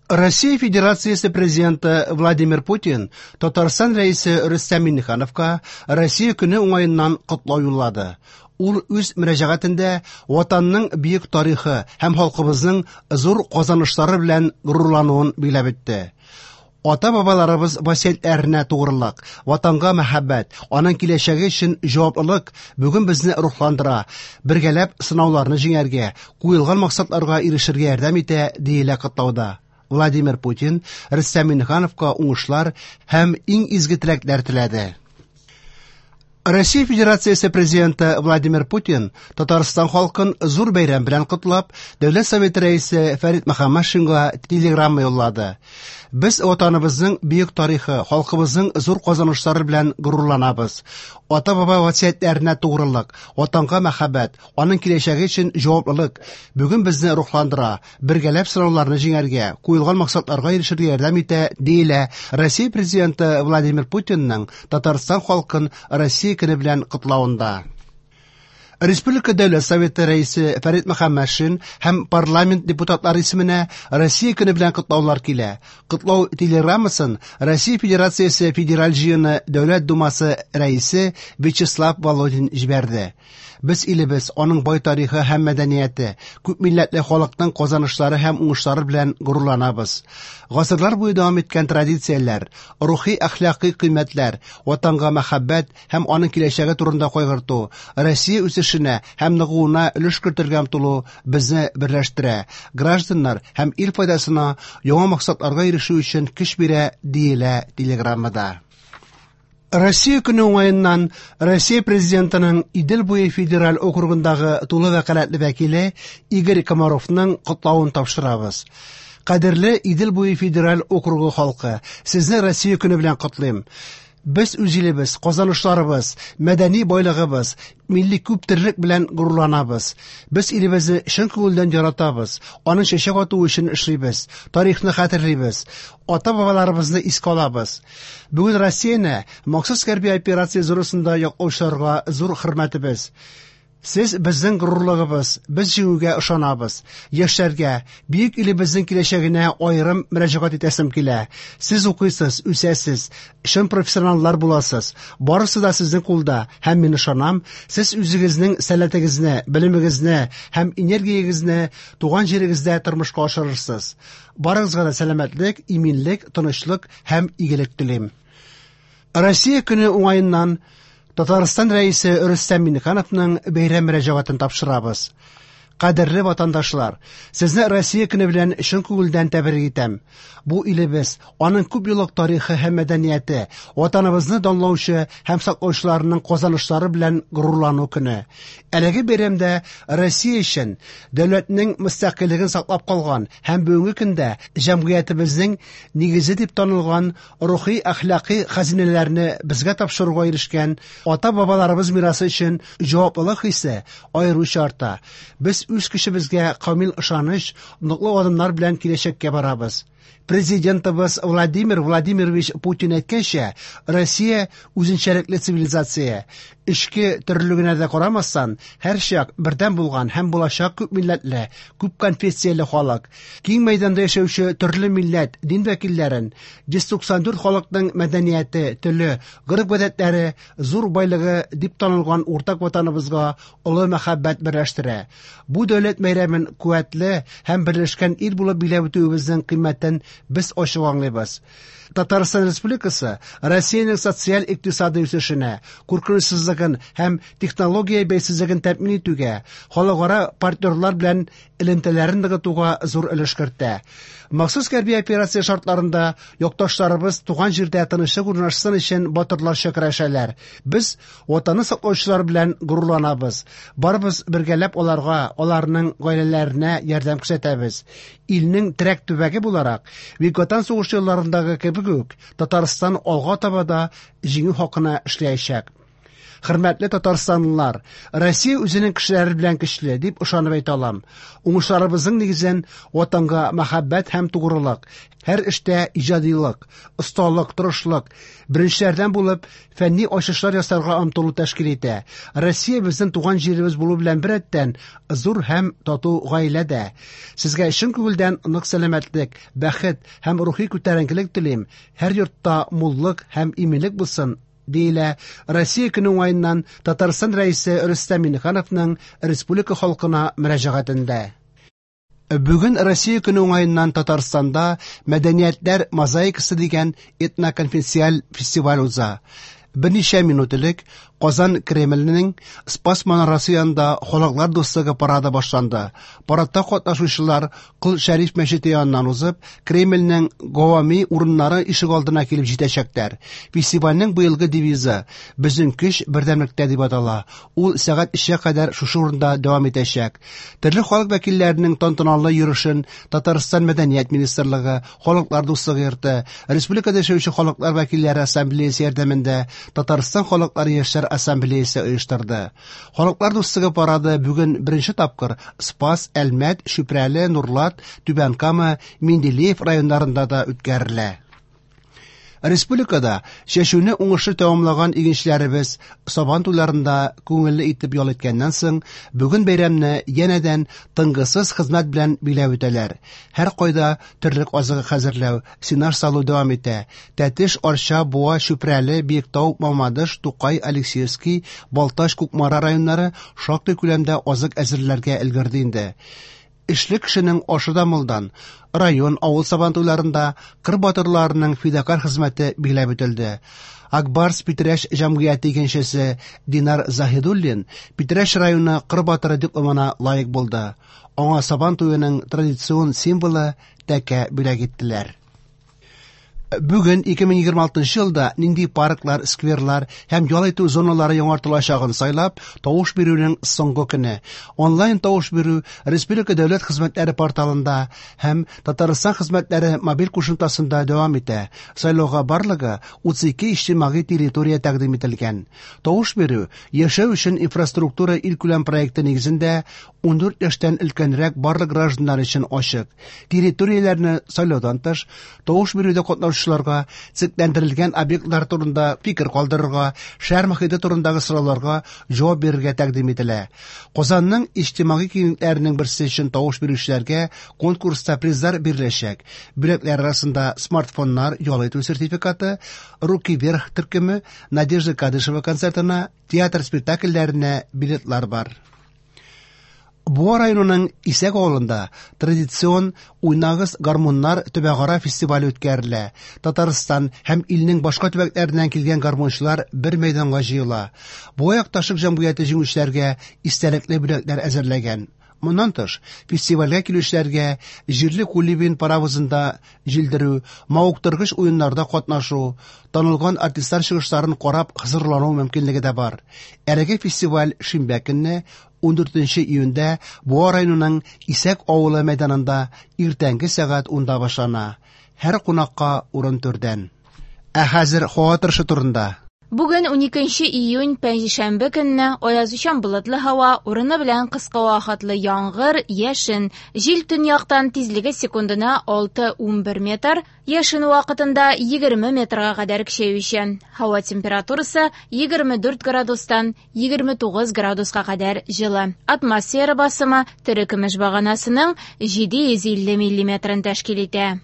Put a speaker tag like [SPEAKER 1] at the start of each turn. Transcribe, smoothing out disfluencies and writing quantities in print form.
[SPEAKER 1] Россия Федерациясе Президенты Владимир Путин Татарстан Рәисе Рөстәм Миңнехановка Россия көне уңаеннан котлау юллады. Ул үз мөрәҗәгатендә Ватанның бөек тарихы һәм халкыбызның зур казанышлары белән горурлануын билгеләп үтте. Ата-бабаларыбыз васыятьләренә тугрылык, Ватанга мәхәббәт, аның киләчәге өчен җаваплылык бүген безне рухландыра, бергәләп сынауларны җиңәргә, куелган максатларга ирешергә ярдәм итә, диелә котлауда. Владимир Путин Рөстәм Миңнехановка уңышлар һәм иң изге теләкләр теләде. Россия Федерациясе Президенты Владимир Путин Татарстан халкын зур бәйрәм белән котлап, Дәүләт Советы Рәисе Фәрит Мөхәммәтшинга телеграмма юллады. Без Ватаныбызның бөек тарихы, халкыбызның зур казанышлары белән горурланабыз. Ата-баба васыятьләренә тугрылык, Ватанга мәхәббәт, аның киләчәге өчен җаваплылык бүген безне рухландыра, бергәләп сынауларны җиңәргә, куелган максатларга ирешергә ярдәм итә, диелә Россия Президенты Владимир Путинның Татарстан халкын Россия көне белән котлавында. Республика Дәүләт Советы Рәисе Фәрит Мөхәммәтшин һәм парламент депутатлары исеменә Россия көне белән котлаулар килә. Котлау телеграммасын Россия Федерациясе Федераль Җыены Дәүләт Думасы Рәисе Вячеслав Володин җибәрде. Без илебез, аның бай тарихы һәм мәдәнияте, күпмилләтле халыкның казанышлары һәм уңышлары белән горурланабыз. Гасырлар буе дәвам иткән традицияләр, рухи-әхлакый кыйммәтләр, Ватанга мәхәббәт һәм аның киләчәге турында кайгырту, Россия үсешенә һәм ныгуына өлеш кертергә омтылу безне берләштерә, гражданнар һәм ил файдасына яңа максатларга ирешү өчен көч бирә, диелә телеграммада. Россия көне уңаеннан Россия Президентының Идел буе федераль округындагы тулы вәкаләтле вәкиле Игорь Комаровның котлавын тапшырабыз. Кадерле Идел буе федераль округы халкы, сезне Россия көне белән котлыйм. Без үз илебез, казанышларыбыз, мәдәни байлыгыбыз, милли күптөрлелек белән горурланабыз. Без илебезне чын күңелдән яратабыз, аның чәчәк атуы өчен эшлибез, тарихны хәтерлибез, ата-бабаларыбызны искә алабыз. Бүген Россияне махсус хәрби операция зонасында яклаучыларга зур хөрмәтебез. Сез безнең горурлыгыбыз, без җиңүгә ышанабыз. Яшьләргә, бөек илебезнең киләчәгенә аерым мөрәҗәгать итәсем килә. Сез укыйсыз, үсәсез, чын профессионаллар буласыз. Барысы да сезнең кулда һәм мин ышанам, сез үзегезнең сәләтегезне, белемегезне һәм энергиягезне туган җирегездә тормышка ашырырсыз. Барыгызга да сәламәтлек, иминлек, тынычлык һәм игелек телим. Россия көне уңаеннан Татарстан Рәисе Рөстәм Миңнехановның бәйрәм мөрәҗәгатен тапшырабыз. Кадерле ватандашлар, сезне Россия көне белән чын күңелдән тәбрик итәм. Бу илебез, аның күп еллык тарихы һәм мәдәнияте, ватаныбызны данлаучы һәм саклаучыларының казанышлары белән горурлану көне. Әлеге бәйрәмдә Россия өчен дәүләтнең мөстәкыйльлеген саклап калган һәм бүгенге көндә җәмгыятебезнең нигезе дип танылган рухи-әхлакый хәзинәләрне безгә тапшыруга ирешкән ата-бабаларыбыз мирасы өчен җаваплылык хисе аеруча арта. Без үз көчебезгә камил ышаныч, ныклы адымнар белән киләчәккә барабыз. Президентыбыз Владимир Владимирович Путин әйткәнчә, Россия үзенчәлекле цивилизация. Эчке төрлелегенә дә карамастан, һәрчак бердәм булган һәм булачак күп милләтле, күп конфессияле халык. Киң мәйданда яшәүче төрле милләт, дин вәкилләрен 194 халыкның мәдәнияте, теле, гореф-гадәтләре зур байлыгы дип танылган уртак ватаныбызга олы мәхәббәт берләштерә. Бу дәүләт бәйрәмен куәтле һәм берләшкән ил булып биләп үтүебезнең кыйммәтен без ачык аңлыйбыз. Татарстан Республикасы Россиянең социаль-икътисади үсешенә, куркынычсызлыгын һәм технология бәйсезлеген тәэмин итүгә, халыкара партнерлар белән элемтәләрен ныгытуга зур өлеш кертә. Махсус хәрби операция шартларында якташларыбыз туган җирдә тынычлык урнашсын өчен батырларча көрәшәләр. Без Ватанны саклаучылар белән горурланабыз. Барыбыз бергәләп аларга, аларның гаиләләренә ярдәм күрсәтәбез. Илнең терәк төбәге буларак, Бөек Ватан сугышы елларындагы кебек үк, Татарстан алга таба да җиңү хакына эшләячәк. Хөрмәтле татарстанлылар, Россия үзенең кешеләре белән көчле, дип ышанып әйтә алам. Уңышларыбызның нигезен Ватанга мәхәббәт һәм тугрылык, һәр эштә иҗадилык, осталык, тырышлык, беренчеләрдән булып фәнни ачышлар ясарга омтылу тәшкил итә. Россия безнең туган җиребез булу белән беррәттән зур һәм тату гаилә дә. Сезгә чын күңелдән нык сәламәтлек, бәхет һәм рухи күтәренкелек телим. Һәр йортта муллык һәм иминлек булсын, диелә Россия көне уңаеннан Татарстан Рәисе Рөстәм Миңнехановның республика халкына мөрәҗәгатендә. Бүген Россия көне уңаеннан Татарстанда Мәдәниятләр мозаикасы дигән этноконфессиаль фестиваль уза. Берничә минут элек Казан Кремленең Спас манарасы янында Халыклар дуслыгы парады башланды. Парадта катнашучылар Кол Шәриф мәчете яныннан узып, Кремльнең гавами урыннары ишегалдына килеп җитәчәкләр. Фестивальнең быелгы девизы «Безнең көч бердәмлектә» дип атала. Ул сәгать 3-кә кадәр шушы урында дәвам итәчәк. Төрле халык вәкилләренең тантаналы йөрешен Татарстан Мәдәният министрлыгы, Халыклар дуслыгы йорты, республикада яшәүче халыклар вәкилләре ассамблеясе ярдәмендә Татарстан халыклары яшьләр ассамблеясе оештырды. Халыклар дуслыгы парады бүген беренче тапкыр Спас, Әлмәт, Чүпрәле, Нурлат, Түбән Кама, Менделеев районнарында да үткәрелә. Республикада чәчүне уңышлы тәмамлаган игенчеләребез Сабан туйларында күңелле итеп ял иткәннән соң, бүген бәйрәмне янәдән тынгысыз хезмәт белән биләп үтәләр. Һәркайда терлек азыгы хәзерләү, сенаж салу дәвам итә. Тәтеш, Арча, Буа, Чүпрәле, Биектау, Мамадыш, Тукай, Алексеевский, Балтач, Кукмара районнары шактый күләмдә азык әзерләргә өлгерде инде. Эшле кешенең ашы да мулдан. Район, авыл сабантуйларында кыр батырларының фидакарь хезмәте билгеләп үтелде. Акбарс Питрәч җәмгыяте игенчесе Динар Заһидуллин Питрәч районы кыр батыры дипломына лаек булды. Аңа Сабан туеның традицион символы тәкә бүләк иттеләр. Бүген 2026 елда нинди парклар, скверлар һәм ял итү зоналары яңартылачагын сайлап, тавыш бирүнең соңгы көне. Онлайн тавыш бирү Республика дәүләт хезмәтләре порталында һәм Татарстан хезмәтләре мобиль кушымтасында дәвам итә. Сайлауга барлыгы 32 иҗтимагый территория тәкъдим ителгән. Тавыш бирү Яшәү өчен инфраструктура илкүләм проекты нигезендә 14 яшьтән өлкәнрәк барлык гражданнар өчен ачык. Территорияләрне сайлаудан тыш, тавыш бирүдә катнашучыларга чикләндерелгән объектлар турында фикер калдырырга, шәһәр мохите турындагы сорауларга җавап бирергә тәкъдим ителә. Казанның иҗтимагый киңлекләренең берсе өчен тавыш бирүчеләргә конкурста призлар биреләчәк. Бүләкләр арасында смартфоннар, ял итү сертификаты, Руки вверх төркеме, Надежда Кадышева концертына, театр спектакльләренә билетлар бар. Буа районының Исәк авылында традицион Уйнагыз гармуннар төбәкара фестивале үткәрелә. Татарстан һәм илнең башка төбәкләреннән килгән гармунчылар бер мәйданга җыела. Буа якташлык җәмгыяте җиңүчеләргә истәлекле бүләкләр әзерләгән. Моннан тыш, фестивальгә килүчеләргә җирле Кулибин паровозында җилдерү, мавыктыргыч уеннарда катнашу, танылган артистлар чыгышларын карап хозурлану мөмкинлеге дә бар. Әлеге фестиваль шимбә көнне, 14 июньдә Буа районының Исәк авылы мәйданында иртәнге сәгать унда башлана. Һәр кунакка урын түрдән. Ә хәзер һава торышы турында.
[SPEAKER 2] Бүген, уникенче июнь, пәнҗешәмбе көнне, аязучан болытлы һава, урыны белән кыска вакытлы яңгыр, яшен. Җил төньяктан, тизлеге секундына 6-11 метр, яшен вакытында 20 метрга кадәр көчәючән. Һава температурасы 24 градустан 29 градуска кадәр җылы. Атмосфера басымы терекөмеш баганасының 750 миллиметрын тәшкил итә.